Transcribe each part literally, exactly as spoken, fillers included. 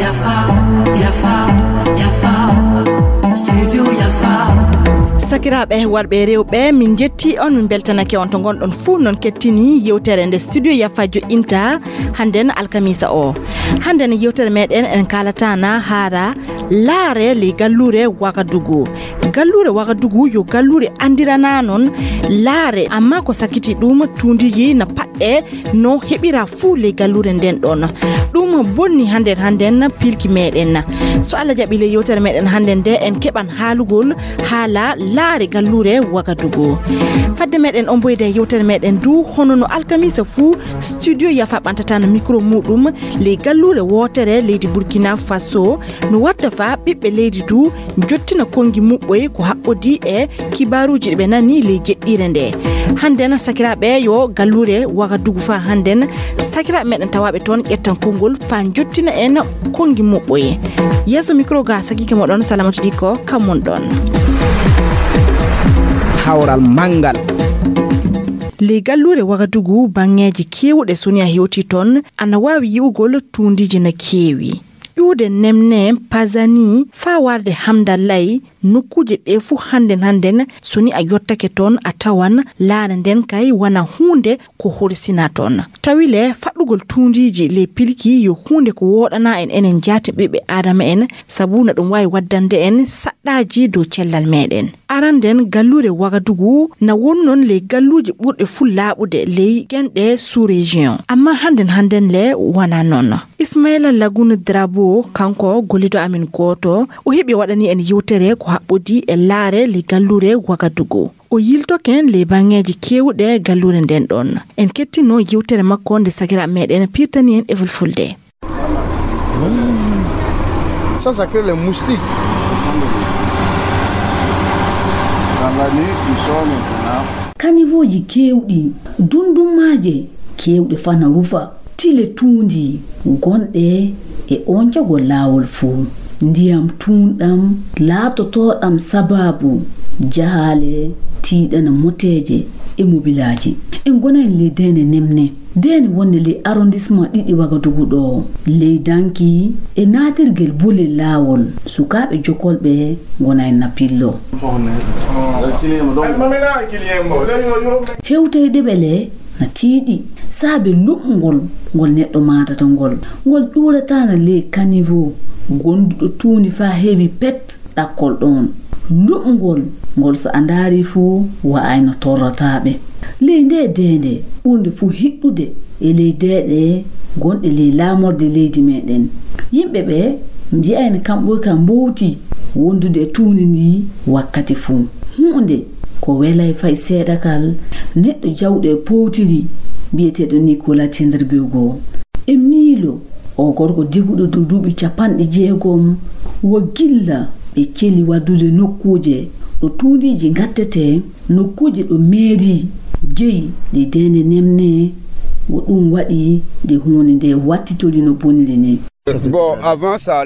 Yafa, yafa, yafa. Studio Yafa. Sakiraaɓe warɓe e rewɓe, min njetti on, min mbeltanake on to ngonɗon fuu. Noon kettini yewtere nde Studio Yafa joƴƴinta hannden alkamiisa o. Hannden yewtere meɗen en kaalataana haara laare ley galluure Wagadugu. Galluure Wagadugu yo galluure anndirana noon laare, amma ko sakkiti ɗum tuundiiji na paɗɗe no heɓira fuu ley galluure nden ɗon. Ɗum bonni hannden hannden pilki meɗen. So Allah jaɓi ley yewtere meɗen hannden nde en keɓan haalugol haala laare galluure Wagadugu. Fadde meɗen omboyde e yewtere meɗen du, hono no alkamiisa fuu, Studio Yafa ɓantata no micro muɗum ley galluure wootere leydi Burkina Faso, no watta fa ɓiɓɓe leydi du jottina konngi muɓɓoy ko haɓɓodii e kibaaruuji ɗi ɓe nani ley jeɗɗiire nde. Hannden sakiraaɓe yo galluure Wagadugu fa hannden, sakiraaɓe meɗen tawaaɓe toon ƴettan konngol fa jottina en konngi muɓɓoy. Yeeso micro ga sakiike moɗon Salamatu Dikko, kam mon ɗon. Kawral manngal. Ley galluure Wagadugu, baŋŋeeji keewuɗe so ni a hewtii toon, ana waawi yi'ugol tuundiiji na keewi. Ƴuwde Nemne, Pazani, faa warde Hamdallay, nokkuuje ɗee fuu hannden hannden, so ni a yottake toon, a tawan laare nden kay wona huunde ko horsina toon. Tawi le, faɗɗugol tuundiiji ley pilki yo huunde ko wooɗanaa en enen jaati ɓiɓɓe Aadama en, sabu na ɗum waawi waddande en saɗɗaaji dow cellal meɗen. Aranden, galluure Wagadugu na woni noon ley galluuje ɓurɗe fuu laaɓude ley genɗe sous-région. Amma hannden hannden le wona noon. Ismaila Lagun Drabo, kanko gollido amin gooto, o heɓi waɗani en yewtere ko haɓɓodii e laare ley galluure Wagadugu. O yiltoke en ley baŋŋeeji keewuɗe galluure nden ɗon. En kettino yewtere makko nde sakiraaɓe meɗen pirtani en e fulfulde. Ça, ça crée les moustiques. Dans la nuit, ils sont maintenant. Kanivooji keewɗi, dundummaaje keewɗe fana rufa, tile tuundi gonɗe e oncagol laawol fuu. Ndiyam tuunɗam laatotooɗam sabaabu jahaale tiiɗana moteeje e mobilaaji. En ngona en ley deende nemne. Deene wonde ley arrondissement ɗiɗi Wagadugu ɗo, ley danki e naatirgel bolel laawol, sukaaɓe jokolɓe ngona en na pillo. Hewtoyde ɓe le na tiiɗi saabe luɓngol ngol neɗɗo maatata ngol. Ngol ɗuurataana ley kanivo gonduɗo tuundi faa heewi pet. Ɗakkol ɗoon luɓngol ngol, so a ndaarii fuu, wa'ayno torrataaɓe. Ley ndee deende ɓurnde fuu hiɗɗude e ley deeɗe gonɗe ley laamorde leydi meeɗen, yimɓe ɓe mbi'ayno kamɓoy ka mbowti wondude e tuundi ndii wakkati fuu. Huunde ko welay fay seeɗa kal neɗɗo jawɗo e powtiri biyeteeɗo Nicolas Tindribego. E miilo, oo gorko diguɗo dow duuɓi capanɗe jeegom, wo gilla ɓe celi waddude nokkuuje ɗo tuundiiji ngattetee, nokkuuje ɗo meerii jeyi ɗe deende nemne, wo ɗum waɗi nde huunde ndee wattitori no boniri nii.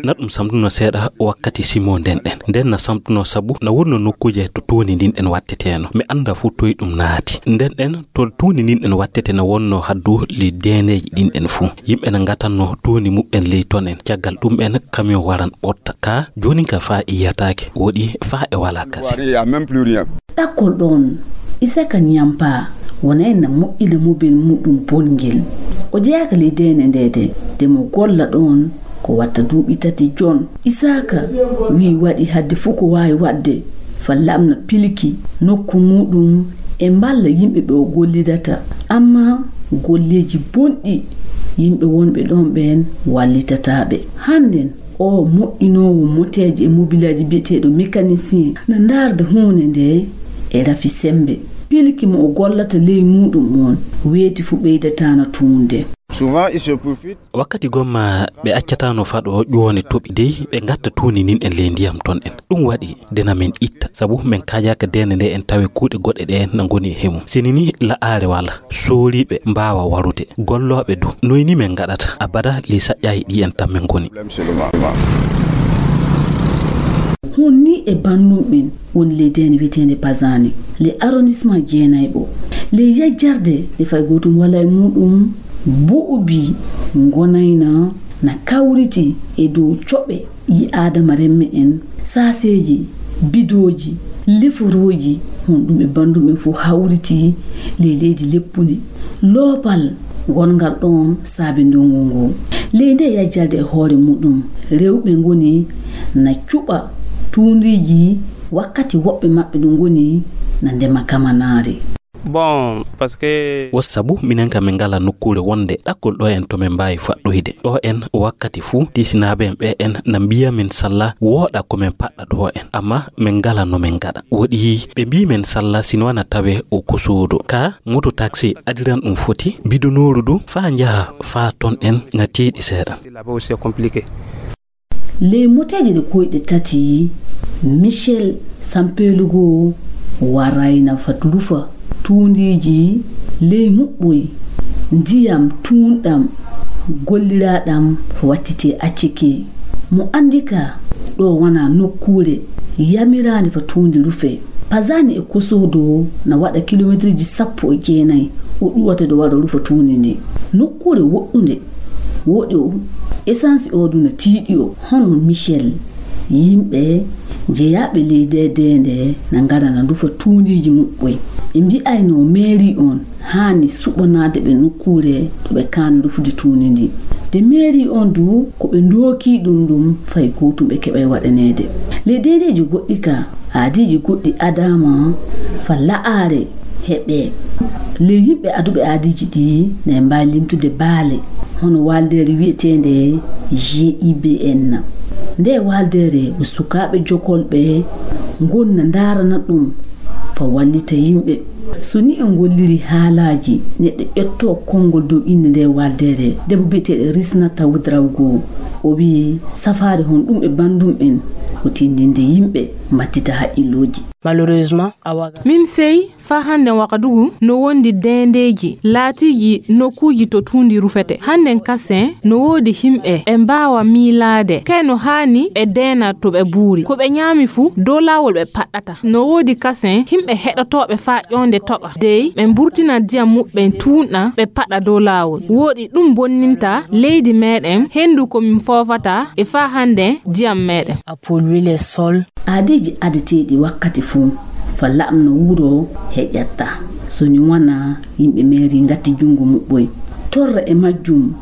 Na ɗum samtuno seeɗa wakkati simo nden ɗen. Nden na samtuno sabu na wonno nokkuuje to tuundi ndin ɗen watteteeno. Mi annda fuu toy ɗum naati. Nden ɗen to tuundi ndin ɗen wattete na wonno haddu ley deeneeji ɗin ɗen fuu. Yimɓe na ngatanno tuundi muɓɓen ley ton en. Caggal ɗum en kamiyon waran ɓotta. Ka joonin ka faa e yiyataake. Woɗi faa e walaa kasi. Ɗakkol ɗoon, Isaka Nyampa wona en na moƴƴina mobel muɗum bongel. O jeyaaka ley deene ndeede, de mo golla ɗoon ko watta duuɓi tati jon. Isaka wi'i waɗi hadde fuu ko waawi waɗde fa lamna pilki nokku muɗum e mballa yimɓe ɓe o gollidata. Amma golleeji bonɗi yimɓe wonɓe ɗoon ɓeen wallitataa ɓe. Hannden, oo moƴƴinoowo moteeji e mobilaaji biyeteeɗo mécanicien na ndaarda huunde ndee e rafi semmbe. Pilki mo o gollata ley muuɗum oon weeti fuu ɓeydataano tuunde. Wakkati gomma ɓe accataano faɗo ƴoone toɓi dey ɓe ngatta tuundi ndin en ley ndiyam ton en. Ɗum waɗi de na men itta sabu men kaajaaka deende nde en tawi kuuɗe goɗɗe ɗe na ngoni e hemum. Sini ni la'aare wala. Sooriiɓe mbaawa warude. Gollooɓe du. Noy ni men ngaɗata? Abada ley saƴƴaaji ɗi en tan men ngoni. Hon ni e banndum en woni ley deende wiyeteende Bazani, ley arrondissement jeenayɓo, ley yajjarde nde fay gootum walaa e muuɗum buubi ngonayna na kawriti e dow coɓe ɓii aadama remme en, saaseeji, bidooji, leforooji, honɗum e banndum en fof hawriti ley leydi leppundi. Loopal ngongal ɗoon saabi ndongu ngu. Ley nde yajjalde e hoore muɗum, rewɓe ngoni na cuɓa tuundiiji, wakkati woɓɓe maɓɓe ɗum ngoni na ndema kamanaari. Bon, parce que wo sabu minen kam min ngala nokkuure wonde ɗakkol ɗo en to min mbaawi faɗɗoyde ɗo en wakkati fuu. Tiisinaaɓe en ɓe en na mbiya min salla wooɗa ko min paɗɗa ɗo en, amma min ngala no min ngaɗa. Woɗi ɓe mbii min salla sino wana tawe o ko soodo ka moto taxi adiran ɗum foti bidonooru du faa njaha faa ton en na tiiɗi seeɗa. Ley moteeje ɗe koyɗe tati, Michel Sampelugo warayna fat lufa tuundiiji ley muɓɓoy ndiyam tuunɗam golliraaɗam wattitee acceke. Mo anndi ka ɗo wona nokkuure yamiraande fa tuundi rufe. Pazani e Kosodo na waɗa kilomeetirji sappo e jeenay o ɗuwata ɗo waɗa rufa tuundi ndi. Nokkuure woɗɗunde woɗi o, esansi o du na tiiɗi o. Hono Michel, yimɓe jeyaaɓe ley nde deende na ngara na ndufa tuundiiji muɓɓoy. Ɓe mbi'ayno meeri on haani suɓanaade ɓe nokkuure ɗo ɓe kaani rufude tuundi ndi. De meeri on du ko ɓe ndooki ɗum ɗum fay gootum ɓe keɓay waɗaneede. Ley deendeeji goɗɗi ka, aadiiji goɗɗi adaama fa la'aare heɓe. Ley yimɓe aduɓe aadiiji ɗi, ne mbaawi limtude baale hono waaldeere wiyeteende G I B N. Nde waaldeere ko sukaaɓe jokolɓe ngonna ndaarana ɗum fa wallita yimɓe. So ni en ngolliri haalaaji neɗɗo ƴetto konngol dow innde nde waaldeere, debbo biyeteeɗo Risnata Ouedraogo, o wiyi safaari hon ɗum e banndum en ko tinndinde yimɓe mbattita haqqillooji. Malheureusement, min sey faa hannden Wagadugu no wondi deendeeji laatiiji nokkuuji to tuundi rufete. Hannden kasen no woodi himɓe ɓe mbaawa miilaade kay no haani ɓe deena to ɓe buuri. Ko ɓe ñaami fuu dow laawol ɓe paɗɗata. No woodi kasen himɓe heɗotooɓe faa ƴoonde toɓa dey ɓe mburtina diyam muɓɓen tuunɗam ɓe paɗa dow laawol. Woodi ɗum bonninta leydi meeɗen henndu ko min foofata e faa hannden diyam meeɗen. Aadiiji adeteeɗi wakkati fuu fa laɓno wuro heƴatta so ni wona yimɓe meeri ngatti junngo muɓɓoy. Torra e majjum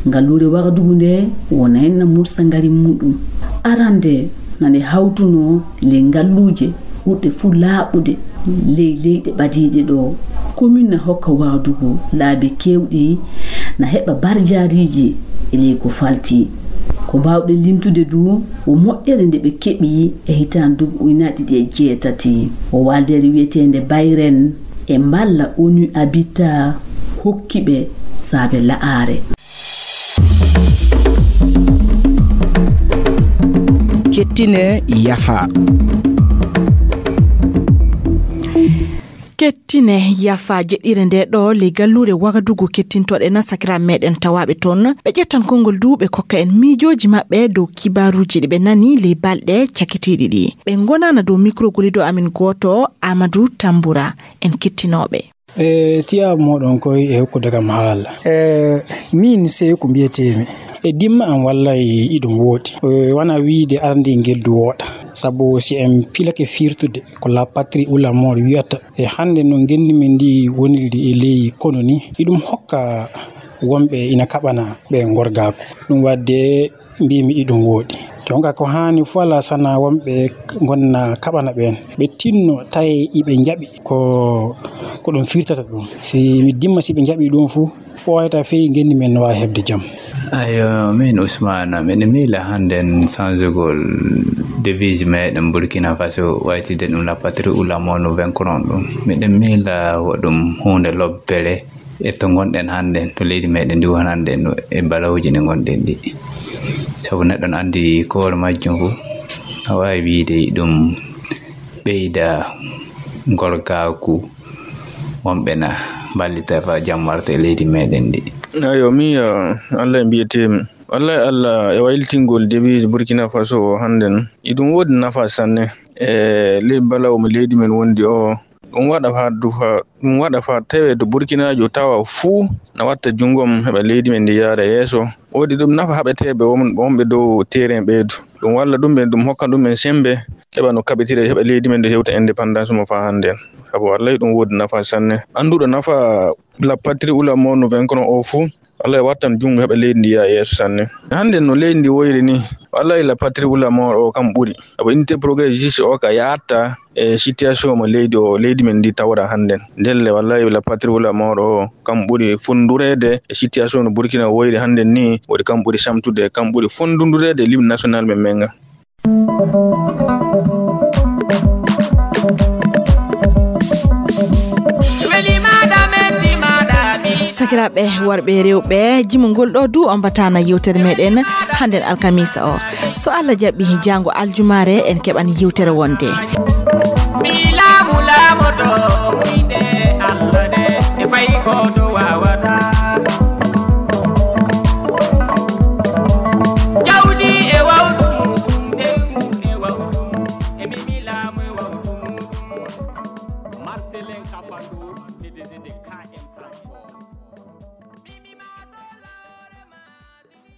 ngalluure Wagadugu nde wonayna mursa ngari muɗum. Arande na nde hawtuno ley ngalluuje ɓurɗe fuu laaɓude ley leyɗe ɓadiiɗe ɗo. Komin na hokka Wagadugu laabi keewɗi na heɓa barjaariiji e ley ko falti. Ko mbaawɗen limtude du ko moƴƴere nde ɓe keɓi e hitaande duuɓi ujunaaji ɗiɗi e jeetati. Ko waaldeere wiyeteende Bayren e mballa O N U Habitat hokki ɓe saabe la'aare. Kettine yafa. Kettine yafa jeɗɗire nde ɗo ley galluure Wagadugu kettintoɗen sakiraaɓe meɗen tawaaɓe toon. Ɓe ƴettan konngol du ɓe kokka en miijooji maɓɓe dow kibaaruuji ɗi ɓe nani ley balɗe cakitiiɗi ɗi. Ɓe ngonana dow mikro golido amin gooto Amadou Tambura. En kettinooɓe. E tiyaabu mooɗon koy e hokkude kam haala. E miin sey ko mbiyeteemi. E dimma am wallay iɗum wooɗi. E wona wiide ardi ngel du wooɗa. Sabu si en pilake firtude ko la patrie ou la mort wiyata. E hannde no ngenndi men ndi wonirdi e ley kono ni. Iɗum hokka wonɓe ina kaɓana ɓe ngorgaaku. Ɗum waɗde mbimi iɗum wooɗi. Jonka ko haani fof alaa sana wonɓe ngonna kaɓana ɓeen. Ɓe tinno tawi iɓe njaɓi ko ko ɗum firtata ɗum. Si mi dimma si ɓe njaɓi ɗum fof ɓooyata fii ngenndi men no waawi heɓde jam. Ayo, min Usmana, miɗo miila hannden sansugol devise meɗen Burkina Faso waytide ɗum la patrie ou la mort no vingt-quatre ɗum. Miɗo miila wo ɗum huunde lobbere e to ngonɗen hannden, to leydi meɗen ndi woni hannden no e balawuji ɗi ngonɗen ɗi. Sabu neɗɗo no anndi ko hoore majjum fof, a waawi wiide ɗum ɓeyda ngorgaaku wonɓe na mballita fa jam warta e leydi meɗen ndi. Ayo, mi, Allah e mbiyeteemi. Wallay Allah e wayltingol devise Burkina Faso o hannden, iɗum woodi nafa sanne e ley balawo mo leydi men wondi o. Ɗum waɗa faa dufa, ɗum waɗa faa tawee to Burkinaajo tawa fuu na watta junngo mum heɓa leydi men ndi yaara yeeso. Woodi ɗum nafa haɓeteeɓe won-, wonɓe dow terrain ɓeydu. Ɗum walla ɗum ɓen, ɗum hokka ɗum ɓen semmbe, heɓa no kaɓitira, heɓa leydi men ndi hewta indépendance mo faa hannden. Sabu wallay ɗum woodi nafa sanne. Annduɗo nafa la patrie ou la mort no vingt kono o fuu, wallay wattan junngo heɓa leydi ndi yaa yeeso sanne. Hannden no leydi ndi woyri ni, wallay la patrie ou la mort o kam ɓuri. Sabu unité progrès juste o ka yaatta e situation mo leydi o, leydi men ndi tawra hannden. Ndelle wallay la patrie ou la mort o kam ɓuri fonndureede e situation no Burkina woyri hannden ni, woodi kam ɓuri samtude, kam ɓuri fondundureede l'hymne national men men nga. Sakiraaɓe worɓe e rewɓe, jimongol ɗo du on batana yewtere meɗen hannden alkamisa o. So Allah jaɓi, jaango aljumaare en keɓan yewtere wonde. Mi laamu laamoto, wuyde Allah de, e fay ko